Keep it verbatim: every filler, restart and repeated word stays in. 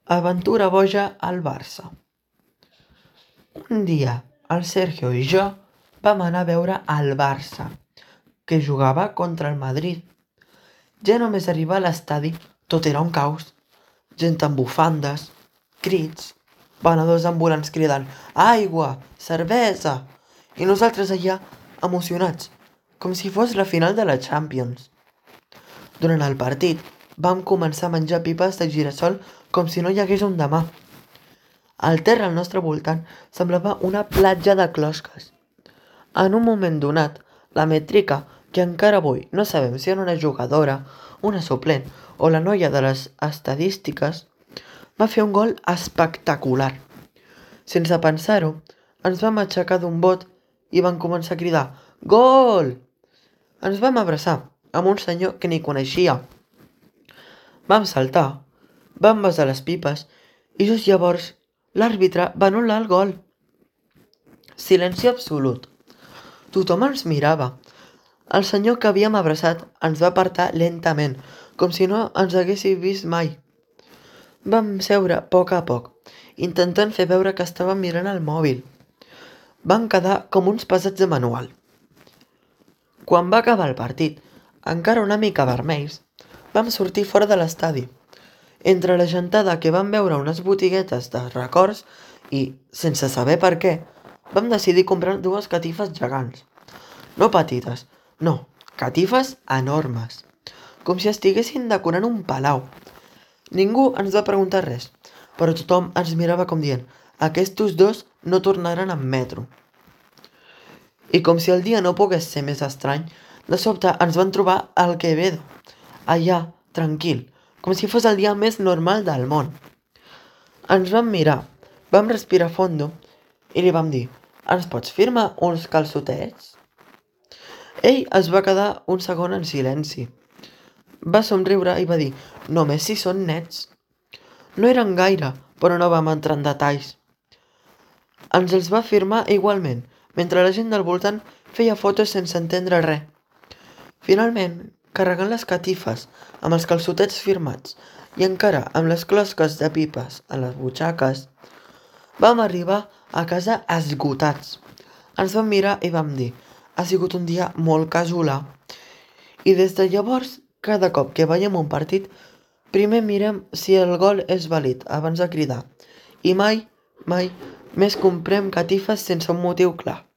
Aventura boja al Barça. Un dia, el Sergio i jo vam anar a veure el Barça, que jugava contra el Madrid. Ja només arribar a l'estadi tot era un caos. Gent amb bufandes, crits, venedors ambulants cridant «Aigua! Cervesa!» i nosaltres allà emocionats, com si fos la final de la Champions. Durant el partit vam començar a menjar pipes de girassol com si no hi hagués un demà. El terra al nostre voltant semblava una platja de closques. En un moment donat, la Metrica, que encara avui no sabem si era una jugadora, una suplent o la noia de les estadístiques, va fer un gol espectacular. Sense pensar-ho, ens vam aixecar d'un bot i vam començar a cridar «Gol!». Ens vam abraçar amb un senyor que ni coneixia. Vam saltar, vam besar les pipes i just llavors l'àrbitre va anul·lar el gol. Silenci absolut. Tothom ens mirava. El senyor que havíem abraçat ens va apartar lentament, com si no ens haguéssim vist mai. Vam seure a poc a poc, intentant fer veure que estàvem mirant el mòbil. Vam quedar com uns pesats de manual. Quan va acabar el partit, encara una mica vermells, vam sortir fora de l'estadi. Entre la gentada que vam veure unes botiguetes de records i, sense saber per què, vam decidir comprar dues catifes gegants. No petites, no, catifes enormes, com si estiguessin decorant un palau. Ningú ens va preguntar res, però tothom ens mirava com dient «Aquestos dos no tornaran en metro». I com si el dia no pogués ser més estrany, de sobte ens van trobar al Quevedo, allà, tranquil, com si fos el dia més normal del món. Ens vam mirar, vam respirar fondo i li vam dir «Ens pots firmar uns calçotets?». Ell es va quedar un segon en silenci. Va somriure i va dir «Només si són nets». No eren gaire, però no vam entrar en detalls. Ens els va firmar igualment, mentre la gent del voltant feia fotos sense entendre res. Finalment, carregant les catifes amb els calçotets firmats i encara amb les closques de pipes a les butxaques, vam arribar a casa esgotats. Ens vam mirar i vam dir «Ha sigut un dia molt casolà». I des de llavors, cada cop que veiem un partit, primer mirem si el gol és vàlid abans de cridar. I mai, mai més comprem catifes sense un motiu clar.